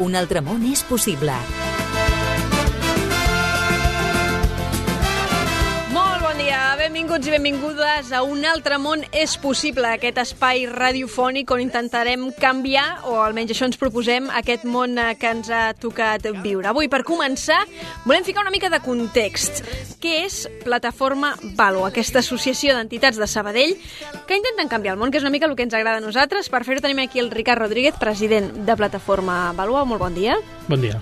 Un altre món és possible. Benvinguts i benvingudes a Un altre món és possible, aquest espai radiofònic on intentarem canviar, o almenys això ens proposem, aquest món que ens ha tocat viure. Avui, per començar, volem ficar una mica de context. Què és Plataforma Valo, aquesta associació d'entitats de Sabadell que intenten canviar el món, que és una mica el que ens agrada a nosaltres. Per fer-ho tenim aquí el Ricard Rodríguez, president de Plataforma Valo. Molt bon dia. Bon dia.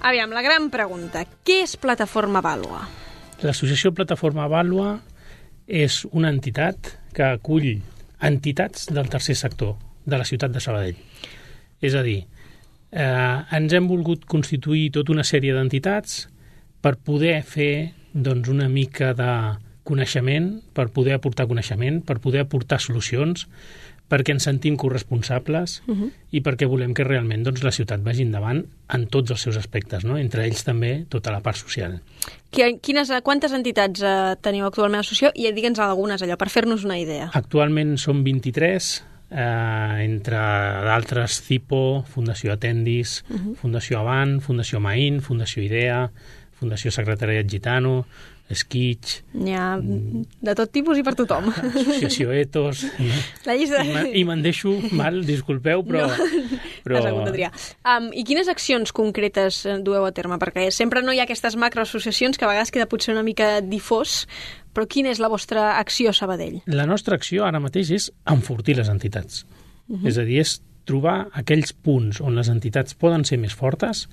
Aviam, la gran pregunta. Què és Plataforma Valo? L'associació Plataforma Valo és una entitat que acull entitats del tercer sector de la ciutat de Sabadell. És a dir, ens hem volgut constituir tota una sèrie d'entitats per poder fer una mica de coneixement, per poder aportar coneixement, per poder aportar solucions, perquè ens sentim corresponsables i perquè volem que realment la ciutat vagi endavant en tots els seus aspectes, no? Entre ells també tota la part social. Quantes entitats teniu actualment a l'associació? I digue'ns algunes, allò, per fer-nos una idea. Actualment som 23, entre d'altres CIPO, Fundació Atendis, Fundació Avant, Fundació Maín, Fundació Idea, Fundació Secretariat Gitano, Esquitx... N'hi ha de tot tipus i per tothom. Associació Etos... La llista... I me'n deixo mal, disculpeu, però... No, has hagut de triar. I quines accions concretes dueu a terme? Perquè sempre no hi ha aquestes macroassociacions que a vegades queda potser una mica difós, però quina és la vostra acció a Sabadell? La nostra acció ara mateix és enfortir les entitats. És a dir, és trobar aquells punts on les entitats poden ser més fortes,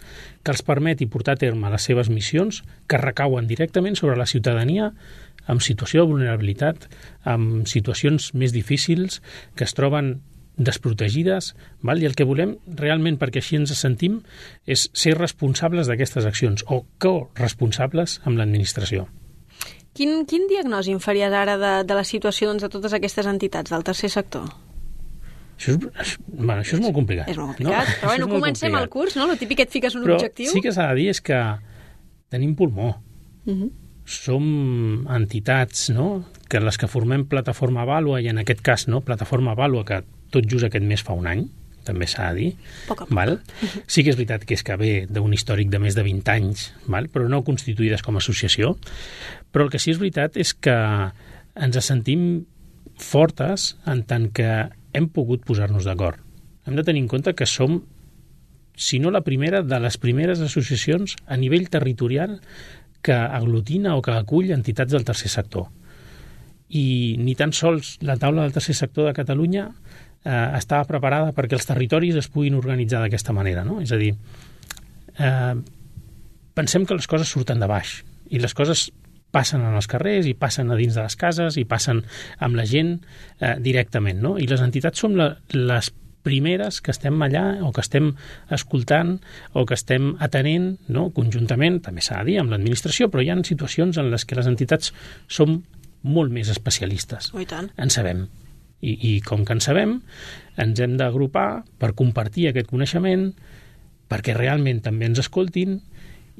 que els permeti portar a terme les seves missions, que recauen directament sobre la ciutadania en situació de vulnerabilitat, en situacions més difícils, que es troben desprotegides, i el que volem realment, perquè així ens sentim, és ser responsables d'aquestes accions, o corresponsables amb l'administració. Quin diagnòstic em faries ara de la situació de totes aquestes entitats del tercer sector? Això és molt complicat. És molt complicat, però bueno, comencem el curs, no? El típic que et fiques un objectiu. Però sí que s'ha de dir és que tenim pulmó. Som entitats, no?, que les que formem Plataforma Valo, i en aquest cas, no, Plataforma Valo, que tot just aquest mes fa un any, també s'ha de dir. Poc a poc. Val? Sí que és veritat que és que ve d'un històric de més de 20 anys, val? Però no constituïdes com a associació. Però el que sí és veritat és que ens sentim fortes en tant que hem pogut posar-nos d'acord. Hem de tenir en compte que som, si no la primera, de les primeres associacions a nivell territorial que aglutina o que acull entitats del tercer sector. I ni tan sols la taula del tercer sector de Catalunya estava preparada perquè els territoris es puguin organitzar d'aquesta manera, no? És a dir, pensem que les coses surten de baix i les coses passen en els carrers i passen a dins de les cases i passen amb la gent directament, no? I les entitats som les primeres que estem allà o que estem escoltant o que estem atenent, no? Conjuntament, també s'ha de dir, amb l'administració, però hi ha situacions en les que les entitats som molt més especialistes. Oh, i tant. En sabem. I com que en sabem, ens hem d'agrupar per compartir aquest coneixement, perquè realment també ens escoltin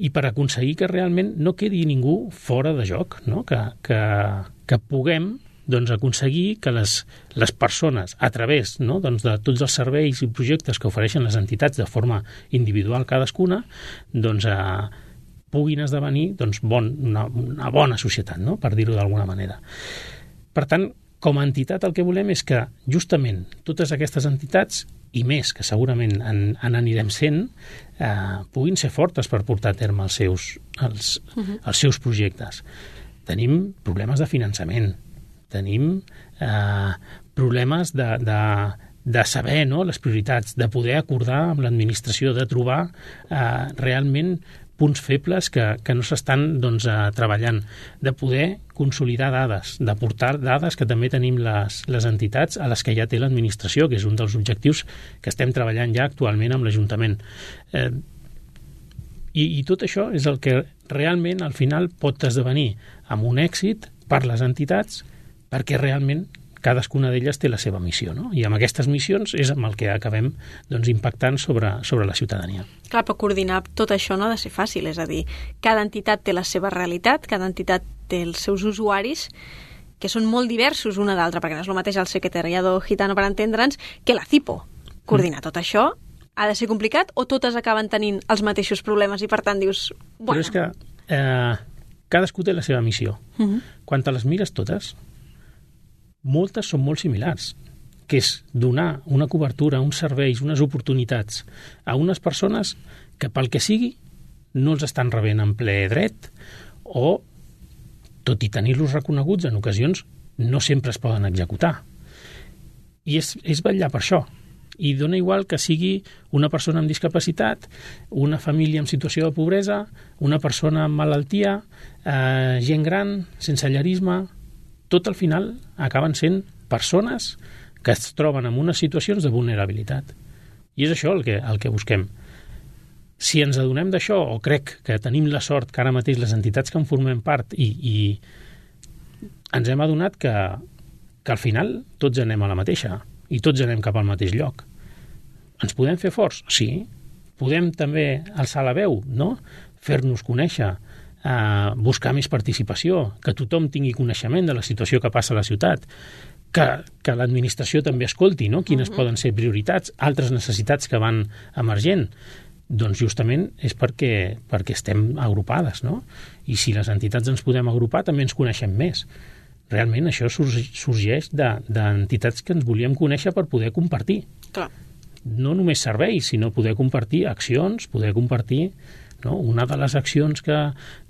i per aconseguir que realment no quedi ningú fora de joc, no? Que puguem aconseguir que les persones, a través, no, de tots els serveis i projectes que ofereixen les entitats de forma individual cadascuna, puguin esdevenir una bona societat, no? Per dir-ho d'alguna manera. Per tant, com a entitat el que volem és que justament totes aquestes entitats, i més que segurament en anirem sent, puguin ser fortes per portar a terme els seus projectes. Tenim problemes de finançament, tenim problemes de saber, no, les prioritats, de poder acordar amb l'administració, de trobar realment punts febles que no s'estan treballant, de poder consolidar dades, d'aportar dades que també tenim les entitats a les que ja té l'administració, que és un dels objectius que estem treballant ja actualment amb l'Ajuntament. I tot això és el que realment al final pot esdevenir amb un èxit per les entitats, perquè realment cadascuna d'elles té la seva missió, no? I amb aquestes missions és amb el que acabem impactant sobre la ciutadania. Clar, però coordinar tot això no ha de ser fàcil, és a dir, cada entitat té la seva realitat, cada entitat té els seus usuaris, que són molt diversos una d'altra, perquè no és el mateix el secretariado gitano, per entendre'ns, que la CIPO. Coordinar tot això ha de ser complicat o totes acaben tenint els mateixos problemes i per tant dius... Bueno. Però és que cadascú té la seva missió. Quan te les mires totes, moltes són molt similars, que és donar una cobertura, uns serveis, unes oportunitats a unes persones que pel que sigui no els estan rebent en ple dret o, tot i tenir-los reconeguts, en ocasions no sempre es poden executar. I és vetllar per això. I dona igual que sigui una persona amb discapacitat, una família en situació de pobresa, una persona amb malaltia, gent gran, sensellarisme... Tot al final acaben sent persones que es troben en unes situacions de vulnerabilitat. I és això el que busquem. Si ens adonem d'això, o crec que tenim la sort que ara mateix les entitats que en formem part i ens hem adonat que al final tots anem a la mateixa i tots anem cap al mateix lloc. Ens podem fer forts? Sí. Podem també alçar la veu, no? Fer-nos conèixer, buscar més participació, que tothom tingui coneixement de la situació que passa a la ciutat, que l'administració també escolti, no? Quines poden ser prioritats, altres necessitats que van emergent. Doncs justament és perquè estem agrupades, no? I si les entitats ens podem agrupar també ens coneixem més. Realment això sorgeix d'entitats que ens volíem conèixer per poder compartir. Clar. No només serveis, sinó poder compartir accions, poder compartir... No? Una de les accions que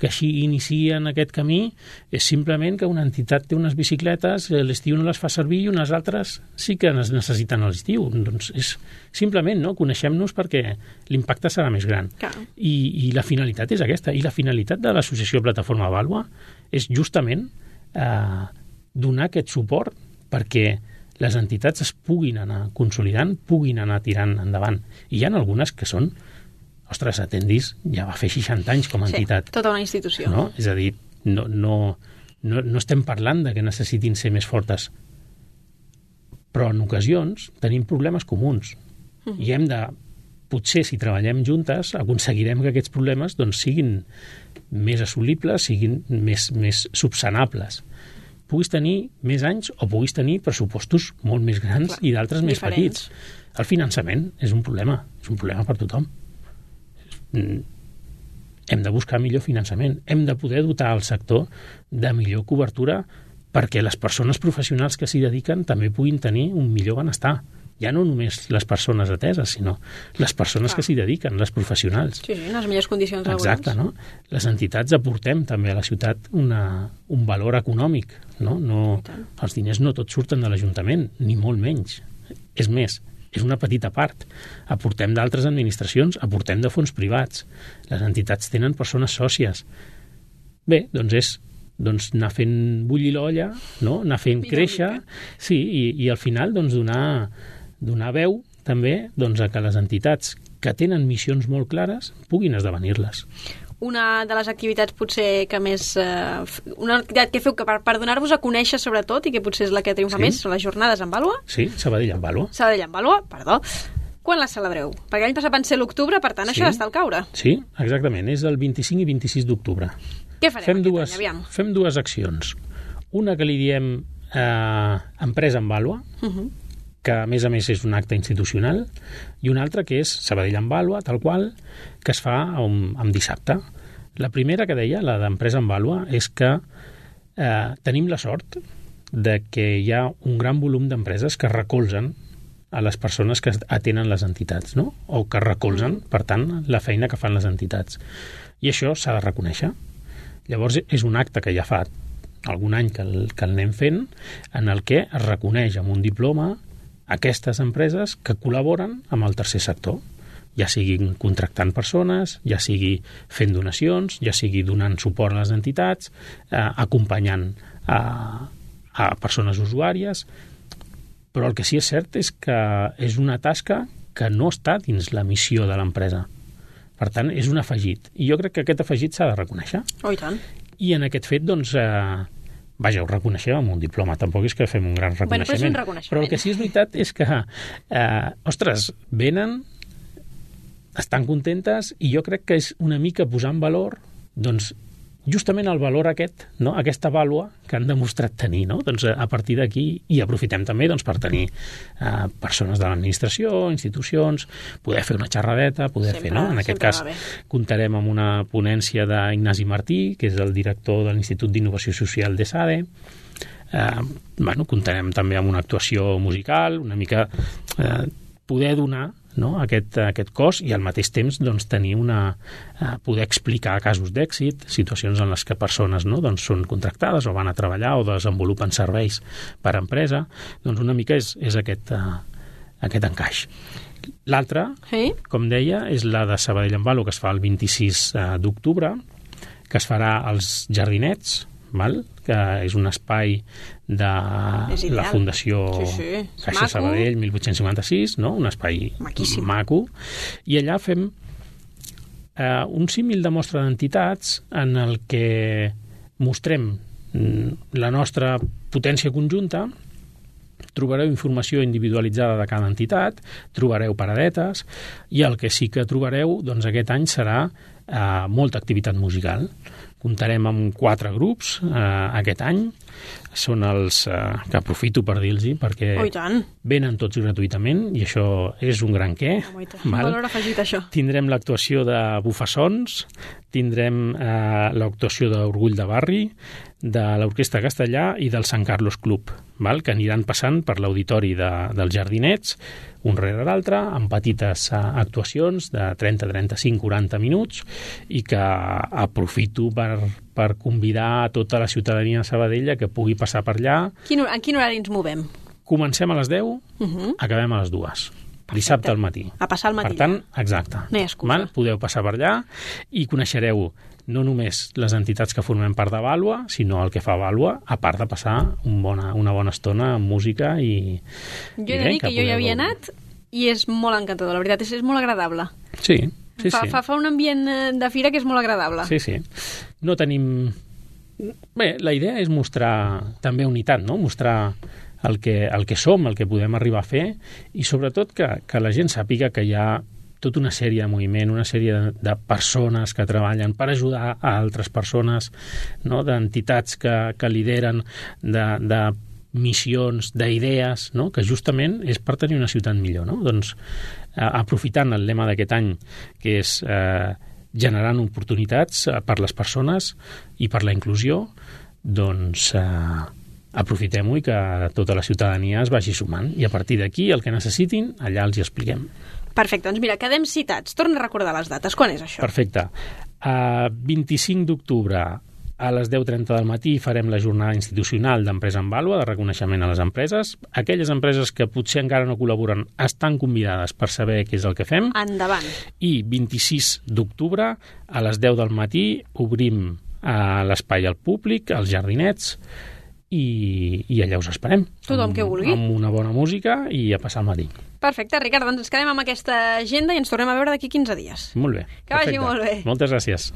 així inicien aquest camí és simplement que una entitat té unes bicicletes, l'estiu no les fa servir i unes altres sí que les necessiten a l'estiu. Doncs és simplement, no? Coneixem-nos perquè l'impacte serà més gran. I la finalitat és aquesta. I la finalitat de l'associació Plataforma Vàlua és justament donar aquest suport perquè les entitats es puguin anar consolidant, puguin anar tirant endavant. I hi ha algunes que són... Ostres, Atendis ja va fer 60 anys com a entitat. Sí, tota una institució. No? És a dir, no estem parlant de que necessitin ser més fortes, però en ocasions tenim problemes comuns i hem de, potser si treballem juntes, aconseguirem que aquests problemes doncs, siguin més assolibles, siguin més subsanables. Puguis tenir més anys o puguis tenir pressupostos molt més grans i d'altres més petits. El finançament és un problema per tothom. Hem de buscar millor finançament, hem de poder dotar el sector de millor cobertura perquè les persones professionals que s'hi dediquen també puguin tenir un millor benestar. Ja no només les persones ateses, sinó les persones que s'hi dediquen, les professionals. Sí, en les millors condicions laborals. Exacte, no? Les entitats aportem també a la ciutat un valor econòmic, no? Els diners no tots surten de l'Ajuntament, ni molt menys. És més, és una petita part. Aportem d'altres administracions, aportem de fons privats. Les entitats tenen persones sòcies. Bé, doncs és anar fent bullir l'olla, no? Anar fent créixer, sí, i al final doncs, donar veu també doncs, a que les entitats que tenen missions molt clares puguin esdevenir-les. Una de les activitats potser que més... una activitat que feu que per donar-vos a conèixer sobretot i que potser és la que triomfa més són les jornades en Vàlua. Sí, Sabadell en Vàlua. Sabadell en Vàlua, perdó. Quan les celebreu? Perquè l'any passat van ser l'octubre, per tant això ja està al caure. Sí, exactament. És el 25 i 26 d'octubre. Què farem aquest any, aviam? Fem dues accions. Una que li diem Empresa en Vàlua, que a més és un acte institucional, i una altra que és Sabadell en Vàlua, tal qual, que es fa en dissabte. La primera que deia, la d'Empresa en Vàlua, és que tenim la sort de que hi ha un gran volum d'empreses que recolzen a les persones que atenen les entitats, no? O que recolzen, per tant, la feina que fan les entitats. I això s'ha de reconèixer. Llavors, és un acte que ja fa algun any que el anem fent, en el que es reconeix amb un diploma aquestes empreses que col·laboren amb el tercer sector, ja siguin contractant persones, ja sigui fent donacions, ja sigui donant suport a les entitats, acompanyant a persones usuàries, però el que sí és cert és que és una tasca que no està dins la missió de l'empresa. Per tant, és un afegit. I jo crec que aquest afegit s'ha de reconèixer. Oh, i tant. I en aquest fet, doncs... Vaja, ho reconeixem amb un diploma, tampoc és que fem un gran reconeixement. Però el que sí és veritat és que, ostres, venen, estan contentes i jo crec que és una mica posar en valor doncs, justament el valor aquest, no? Aquesta vàlua que han demostrat tenir, no? Doncs a partir d'aquí, i aprofitem també doncs, per tenir persones de l'administració, institucions, poder fer una xerradeta, poder fer, no? En aquest cas, comptarem amb una ponència d'Ignasi Martí, que és el director de l'Institut d'Innovació Social de SADE. Comptarem també amb una actuació musical, una mica poder donar, no? aquest cos i al mateix temps doncs, tenir poder explicar casos d'èxit, situacions en les que persones no? doncs, són contractades o van a treballar o desenvolupen serveis per a empresa, doncs una mica és aquest encaix. L'altra, com deia, és la de Sabadell en Valo, que es fa el 26 d'octubre, que es farà als Jardinets, que és un espai de la Fundació Caixa Sabadell 1856, no? Un espai maco, i allà fem un símil de mostra d'entitats en el que mostrem la nostra potència conjunta. Trobareu informació individualitzada de cada entitat, trobareu paradetes, i el que sí que trobareu doncs, aquest any serà molta activitat musical. Comptarem amb 4 grups aquest any. Són els que aprofito per dir-los, perquè venen tots gratuïtament, i això és un gran què. Valor afegit, això. Tindrem l'actuació de Bufassons, tindrem l'actuació d'Orgull de Barri, de l'Orquestra Castellà i del Sant Carlos Club, que aniran passant per l'auditori dels Jardinets, un rere l'altre, amb petites actuacions de 30, 35, 40 minuts, i que aprofito per convidar a tota la ciutadania de Sabadell que pugui passar per allà. En quin horari ens movem? Comencem a les 10, acabem a les 2. Dissabte al matí. A passar al matí. Per tant, exacte. No hi ha excusa. Podeu passar per allà i coneixereu no només les entitats que formem part de Vàlua, sinó el que fa Vàlua, a part de passar una bona estona amb música i... Jo he de dir que jo hi havia anat i és molt encantador, la veritat, és molt agradable. Sí. Fa un ambient de fira que és molt agradable. Sí. No tenim... Bé, la idea és mostrar també unitat, no? Mostrar el que som, el que podem arribar a fer, i sobretot que la gent sàpiga que hi ha tota una sèrie de moviment, una sèrie de persones que treballen per ajudar a altres persones, no? D'entitats que lideren, de missions, d'idees, no? Que justament és per tenir una ciutat millor, no? Doncs aprofitant el lema d'aquest any, que és generant oportunitats per les persones i per la inclusió, doncs aprofitem-ho i que tota la ciutadania es vagi sumant, i a partir d'aquí el que necessitin allà els hi expliquem. Perfecte, doncs mira, quedem citats. Torna a recordar les dates. Quan és això? Perfecte. 25 d'octubre a les 10:30 del matí farem la jornada institucional d'Empresa en Vàlua, de reconeixement a les empreses. Aquelles empreses que potser encara no col·laboren estan convidades per saber què és el que fem. Endavant. I 26 d'octubre a les 10 del matí obrim l'espai al públic, als Jardinets, i allà us esperem. Tothom que vulgui. Amb una bona música i a passar el matí. Perfecte, Ricard, doncs ens quedem amb aquesta agenda i ens tornem a veure d'aquí 15 dies. Molt bé. Que vagi molt bé. Moltes gràcies.